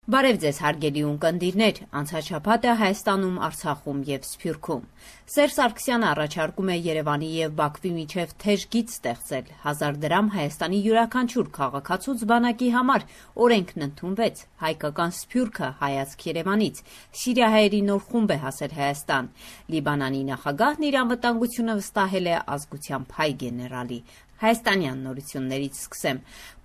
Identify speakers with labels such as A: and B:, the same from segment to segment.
A: Բարև ձեզ հարգելի ունկնդիրներ, անցած շաբաթը Հայաստանում, Արցախում եւ Սփյուռքում։ Սերժ Սարգսյանը առաջարկում է Երևանի եւ Բաքվի միջև թեժ գիծ ստեղծել 1000 դրամ Հայաստանի յուրաքանչյուր քաղաքացուց բանակի համար։ Օրենքն ընդունվեց, հայկական Սփյուռքը հայացք Երևանից։ Սիրիահայերի նոր խումբ է հասել Հայաստան։ Լիբանանի նախագահն իր անվտանգությունը վստահել է ազգությամբ հայ գեներալի։ Հայաստանյան նորություններից սկսեմ։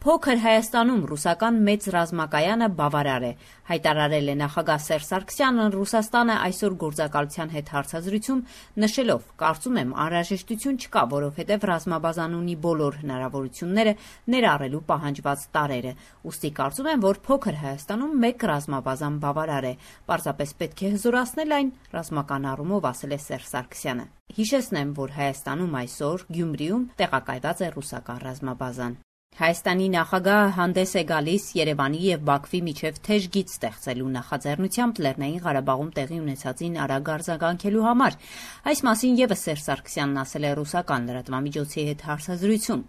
A: Փոքր Հայաստանում ռուսական մեծ ռազմակայանը բավարար է, հայտարարել է նախագահ Սերժ Սարգսյանը Ռուսաստանը այսօր գործակալության հետ հարցազրույցում, նշելով. կարծում եմ անհրաժեշտություն չկա, որովհետև ռազմաբազան ունի բոլոր հնարավորությունները ներառելու պահանջված տարրերը, ուստի կարծում եմ, որ փոքր Հայաստանում մեկ ռազմաբազան բավարար է, պարզապես պետք է հզորացնել այն ռազմական առումով, ասել է Սերժ Սարգսյանը։ Հիշեցնեմ, որ Հայաստանում այսօր Գյումրիում տեղակայված է ռուսական ռազմաբազան։ Հայաստանի նախագահը հանդես է գալիս Երևանի եւ Բաքվի միջև թեժ գիծ ստեղծելու նախաձեռնությամբ Լեռնային Ղարաբաղում տեղի ունեցածին արագ արձագանքելու համար։ Այս մասին եւս Սերժ Սարգսյանն ասել է ռուսական լրատվամիջոցի հետ հարցազրույցում։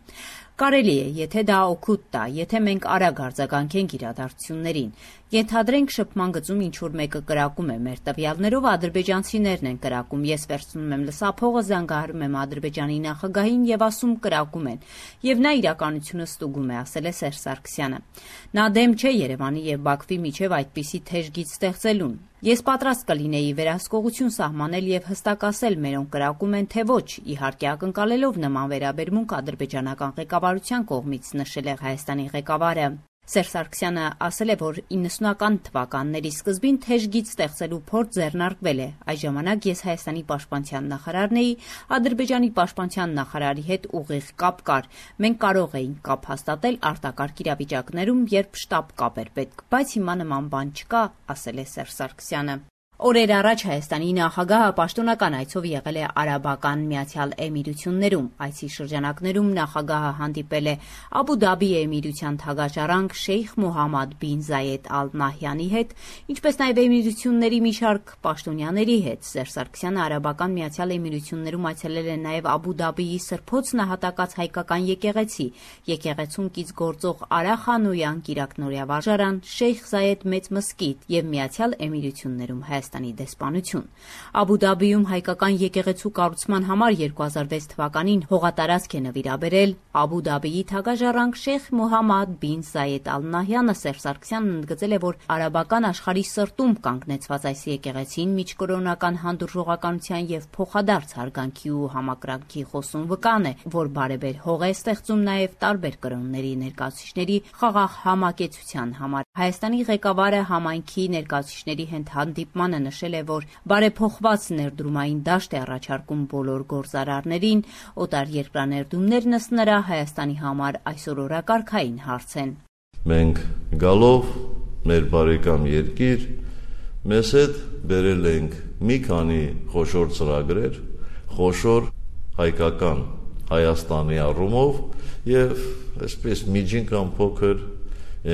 A: Կարելի է, եթե դա օգուտ տա, եթե մենք արագ արձագանքենք իրադարձություններին։ Ենթադրենք շփման գծում ինչ-որ մեկը կրակում է, մեր տվյալներով ադրբեջանցիներն են կրակում, ես վերցնում եմ լսափողը, զանգահարում եմ Ադրբեջանի նախագահին եւ ասում կրակում են, եւ նա իրականությունը ստուգում է, ասել է Սերժ Սարգսյանը։ Նա դեմ չէ Երևանի եւ Բաքվի միջև այդպիսի թեժ գիծ ստեղծելուն։ Ես պատրաստ կլինեի վերահսկողություն սահմանել եւ հստակացել մերոնք կրակում են թե ոչ, իհարկե ակնկալելով նման վերաբերմունք ադրբեջանական ղեկավարության կողմից, նշել է Հայաստանի ղեկավարը։ Սերժ Սարգսյանը ասել է, որ 90-ական թվականների սկզբին թեժ գիծ ստեղծելու փորձ ձեռնարկվել է։ Այս ժամանակ ես Հայաստանի պաշտպանության նախարարն էի, Ադրբեջանի պաշտպանության նախարարի հետ ուղիղ կապ կար։ Մենք կարող էինք կապ հաստատել արտակարգ իրավիճակներում, երբ շտապ կապ էր պետք, բայց հիմա նման բան չկա, ասել է Սերժ Սարգսյանը։ Օրեր առաջ Հայաստանի նախագահը պաշտոնական այցով եղել է Արաբական Միացյալ Էմիրություններում։ Այցի շրջանակներում նախագահը հանդիպել է Աբու Դաբի Էմիրության թագաճառանգ Շեյխ Մոհամմադ բին Զայեդ Ալ Նահյանի հետ, ինչպես նաև Էմիրությունների մի շարք պաշտոնյաների հետ։ Սերժ Սարգսյանը Արաբական Միացյալ Էմիրություններում այցելել է նաև Աբու Դաբիի Սրբոց նահատակած հայկական եկեղեցի, եկեղեցուն կից գործող Արա Խանոյան կիրակնօրյա վարժարան, Շեյխ Զայեդ մեծ մզկիթ եւ Միացյալ Էմիրություններում Հայաստանի դեսպանություն։ Աբու Դաբիում հայկական եկեղեցու կառուցման համար 2006 թվականին հողատարածք է նվիրաբերել Աբու Դաբիի թագաճառանգ Շեյխ Մոհամմադ բին Զայեդ Ալ Նահյանը։ Սերժ Սարգսյանն ընդգծել է, որ արաբական աշխարհի սրտում կանգնեցված այս եկեղեցին միջկրոնական հանդուրժողականության եւ փոխադարձ հարգանքի ու համակրանքի խոսուն վկան է, որ բարեբեր հող է ստեղծում նաեւ տարբեր կրոնների ներկայացուցիչների խաղաղ համակեցության համար։ Հայաստանի ղեկավարը համայնքի ներկայացուցիչների հետ հանդիպմանը նշել է, որ բարեփոխված ներդրումային դաշտ է առաջարկում բոլոր գործարարներին, օտարերկրաներդումներն ըստ նրա Հայաստանի համար այսօր օրակարգային հարց են։
B: Մենք գալով մեր բարեկամ երկիր, մեզ հետ բերել ենք մի քանի խոշոր ծրագրեր, խոշոր հայկական Հայաստանի առումով եւ այսպես միջին կամ փոքր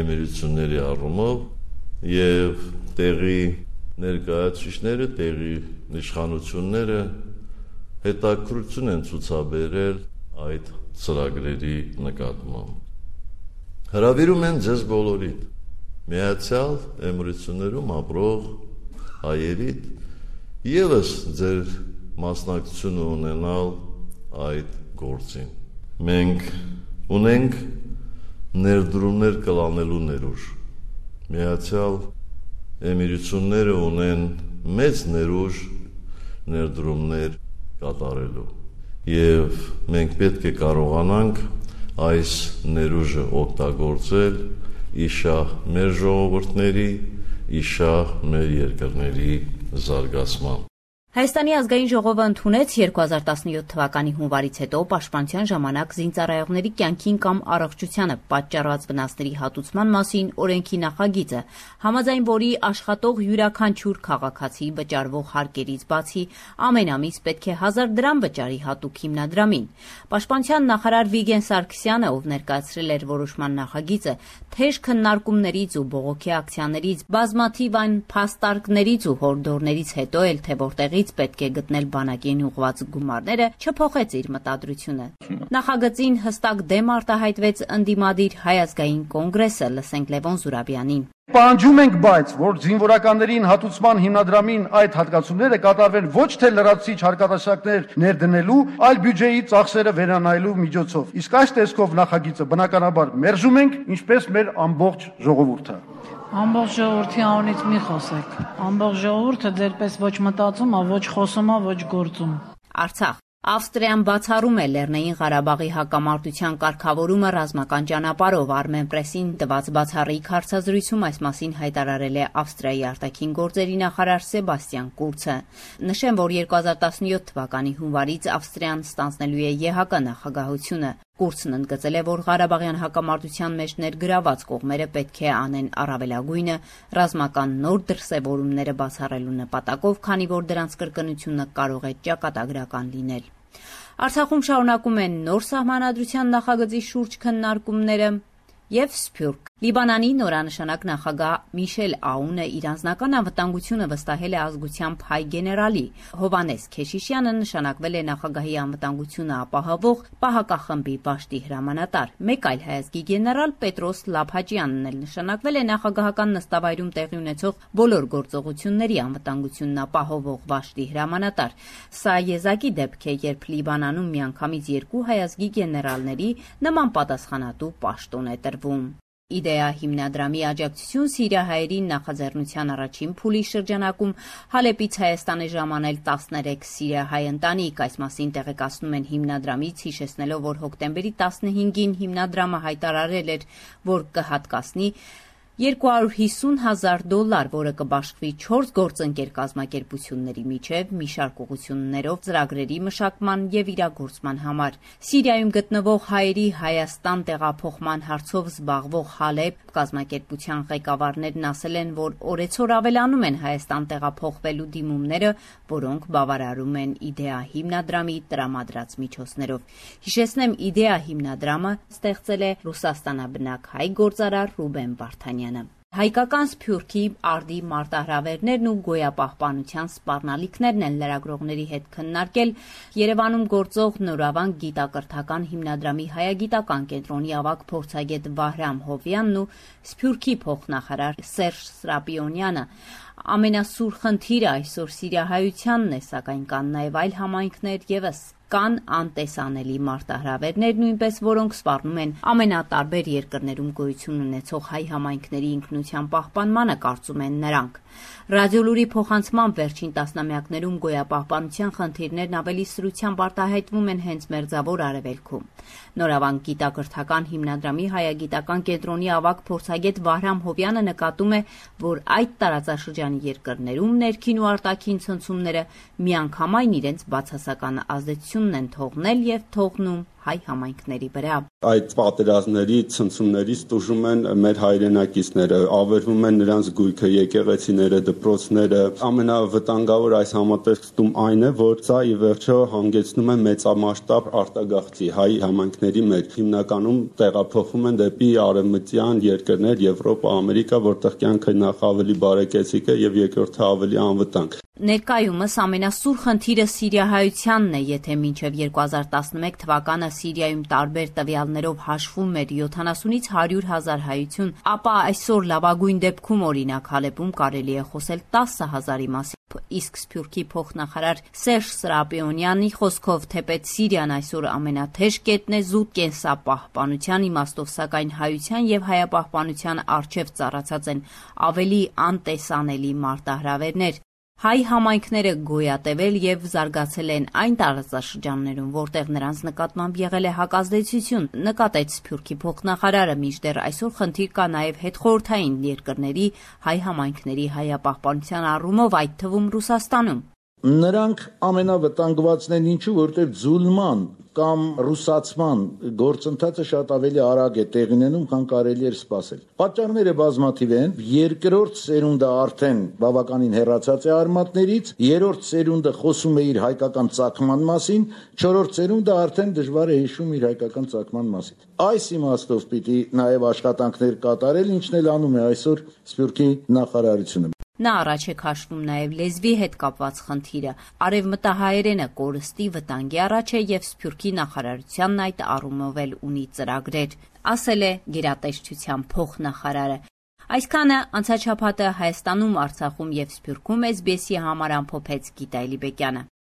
B: էմիրությունների առումով եւ տեղի ներկայացուցիչները, տեղի իշխանությունները հետաքրքրություն են ցուցաբերել այդ ծրագրերի նկատմամբ։ Հրավիրում են ձեզ բոլորիդ, Միացյալ Էմիրություններում ապրող հայերիդ, եւս ձեր մասնակցությունը ունենալ այդ գործին։ Մենք ունենք ներդրումներ կլանելու ներուժ։ Միացյալ Էմիրությունները ունեն մեծ ներուժ ներդրումներ կատարելու եւ մենք պետք է կարողանանք այս ներուժը օգտագործել իշահ մեր ժողովուրդների, իշահ մեր երկրների զարգացման։
A: Հայաստանի ազգային ժողովը ընդունեց 2017 թվականի հունվարից հետո պաշտպանության ժամանակ զինծառայողների կյանքին կամ առողջությանը պատճառված վնասների հատուցման մասին օրենքի նախագիծը, համաձայն որի աշխատող յուրաքանչյուր քաղաքացի վճարվող հարկերից բացի ամեն ամիս պետք է 1000 դրամ վճարի հատուկ հիմնադրամին։ Պաշտպանության նախարար Վիգեն Սարգսյանը, ով ներկայացրել էր որոշման նախագիծը, թեժ քննարկումներից ու բողոքի ակցիաներից, բազմաթիվ այն փաստարկներից ու հորդորներից հետո էլ թե որտեղի պետք է գտնել բանակին ուղղված գումարները, չփոխեց իր մտադրությունը։ Նախագծին հստակ դեմ արտահայտվեց ընդդիմադիր Հայ ազգային կոնգրեսը, լսենք Լևոն Զուրաբյանին։
C: Պահանջում ենք, բայց որ զինվորականներին հատուցման հիմնադրամին այդ հատկացումները կատարվեն ոչ թե լրացուցիչ հարկատեսակներ ներդնելու, այլ բյուջեի ծախսերը վերանայելու միջոցով։ Իսկ այս տեսքով նախագիծը բնականաբար մերժում ենք, ինչպես մեր ամբողջ ժողովուրդը։
D: Ամբողջ ժողովրդի անունից մի խոսեք։ Ամբողջ ժողովուրդը ձերպես ոչ մտածում է, ոչ խոսում է, ոչ գործում։
A: Արցախ Ավստրիան բացառում է Լեռնային Ղարաբաղի հակամարտության կարգավորումը ռազմական ճանապարհով։ Armen Press-ին տված բացառիկ հարցազրույցում այս մասին հայտարարել է Ավստրիայի արտաքին գործերի նախարար Սեբաստիան Կուրցը։ Նշեմ, որ 2017 թվականի հունվարից Ավստրիան ստանձնելու է ԵՀԿ նախագահությունը։ Կուրցն ընդգծել է, որ Ղարաբաղյան հակամարտության մեջ ներգրաված կողմերը պետք է անեն առավելագույնը ռազմական նոր դրսևորումները բացառելու նպատակով, քանի որ դրանց կրկնությունը կարող է ճակատագրական լինել։ Արցախում շարունակում են նոր սահմանադրության նախագծի շուրջ քննարկումները եւ Սփյուռք։ Լիբանանի նորանշանակ նախագահ Միշել Աունը իր անձնական անվտանգությունը վստահել է ազգությամբ հայ գեներալի։ Հովանես Քեշիշյանը նշանակվել է նախագահի անվտանգությունը ապահովող պահակախմբի պաշտի հրամանատար։ Մեկ այլ հայազգի գեներալ Պետրոս Լափաջյանն էլ նշանակվել է նախագահական նստավայրում տեղի ունեցող բոլոր գործողությունների անվտանգությունն ապահովող պաշտի հրամանատար։ Սա եզակի դեպք է, երբ Լիբանանում միանգամից երկու հայազգի գեներալների նման պատասխանատու պաշտոն է տրվում։ Իդեա հիմնադրամի աջակցություն սիրիահայերին նախաձեռնության առաջին փուլի շրջանակում Հալեպից Հայաստան է ժամանել 13 սիրիահայ ընտանիք։ Այս մասին տեղեկացնում են հիմնադրամից, հիշեցնելով, որ հոկտեմբերի 15-ին հիմնադրամը հայտարարել էր, որ կհատկացնի $250,000, որը կբաշխվի 4 գործընկեր կազմակերպությունների միջև մի շարք ուղղություններով ծրագրերի մշակման եւ իրագործման համար։ Սիրիայում գտնվող հայերի Հայաստան տեղափոխման հարցով զբաղվող Հալեպ կազմակերպության ղեկավարներն ասել են, որ օրեցօր ավելանում են Հայաստան տեղափոխվելու դիմումները, որոնք բավարարում են Իդեա հիմնադրամի տրամադրած միջոցներով։ Հիշեցնեմ, Իդեա հիմնադրամը ստեղծել է Ռուսաստանաբնակ հայ գործարար Ռուբեն Վարդանյանը։ Հայկական Սփյուռքի արդի մարտահրավերներն ու գոյապահպանության սպառնալիքներն են լրագրողների հետ քննարկել Երևանում գործող Նորավանք գիտակրթական հիմնադրամի հայագիտական կենտրոնի ավագ փորձագետ Վահրամ Հովյանն ու Սփյուռքի փոխնախարար Սերժ Սրապիոնյանը։ Ամենասուր խնդիրը այսօր սիրիահայությանն է, սակայն կան նաև այլ համայնքներ եւս։ Կան անտեսանելի մարտահրավերներ, նույնպես որոնք սպառնում են ամենատարբեր երկրներում գոյություն ունեցող հայ համայնքների ինքնության պահպանմանը, կարծում են նրանք։ Ռադիոլուրի փոխանցման վերջին տասնամյակներում գոյապահպանության խնդիրներն ավելի սրությամբ արտահայտվում են հենց Մերձավոր Արևելքում։ Նորավանք գիտակրթական հիմնադրամի հայագիտական կենտրոնի ավագ փորձագետ Վահրամ Հովյանը նկատում է, որ այդ տարածաշրջանի երկրներում ներքին ու արտաքին ցնցումները միանգամայն իրենց բացասական ազդեցությունն են թողնել եւ թողնում հայ համայնքների վրա։
E: Այդ պատերազմների ցնցումներից տուժում են մեր հայրենակիցները, ավերվում են նրանց գույքը, եկեղեցիները, դպրոցները։ Ամենավտանգավոր այս համատեքստում այն է, որ սա ի վերջո հանգեցնում է մեծամասշտաբ արտագաղթի հայ համայնքների մեջ։ Հիմնականում տեղափոխվում են դեպի արևմտյան երկրներ, Եվրոպա, Ամերիկա, որտեղ կյանքը նախ ավելի բարեկեցիկ է եւ երկրորդը ավելի անվտանգ։
A: Ներկայումս ամենասուր խնդիրը սիրիահայությանն է, եթե մինչև 2011 թվականը Սիրիայում տարբեր տվյալներով հաշվում էր 70-ից 100,000 հայություն, ապա այսօր լավագույն դեպքում օրինակ Հալեպում կարելի է խոսել 10,000-ի մասին։ Իսկ Սփյուռքի փոխնախարար Սերժ Սրապիոնյանի խոսքով, թեպետ Սիրիան այսօր ամենաթեժ կետն է զուտ կենսապահպանության իմաստով, սակայն հայության եւ հայապահպանության առջև ծառացած են ավելի անտեսանելի մարտահրավերներ։ Հայ համայնքները գոյատևել եւ զարգացել են այն տարածաշրջաններում, որտեղ նրանց նկատմամբ եղել է հակազդեցություն, նկատեց Սփյուռքի փոխնախարարը, մինչդեռ այսօր խնդիր կա նաեւ հետխորհրդային երկրների հայ համայնքների հայապահպանության առումով, այդ թվում Ռուսաստանում։
F: Նրանք ամենավտանգվածն են, ինչու, որտեղ ձուլման կամ ռուսացման գործընթացը շատ ավելի արագ է տեղի ունենում, քան կարելի էր սպասել։ Պատճառները բազմաթիվ են։ Երկրորդ սերունդը արդեն բավականին հեռացած է արմատներից, երրորդ սերունդը խոսում է իր հայկական ծագման մասին, չորրորդ սերունդը արդեն դժվար է հիշում իր հայկական ծագման մասին։ Այս իմաստով պիտի նաև աշխատանքներ կատարել, ինչն էլ անում է այսօր Սփյուռքի նախարարությունը։
A: Նա առաջ է քաշվում նաև լեզվի հետ կապված խնդիրը։ Արևմտահայերենը կորստի վտանգի առաջ է եւ Սփյուռքի նախարարությանն այդ առումով էլ ունի ծրագրեր, ասել է գերատեսչության փոխնախարարը։ Այսքանը անցած շաբաթը Հայաստանում, Արցախում եւ Սփյուռքում SBS-ի համար ամփոփեց Գիտա Էլիբեկյանը։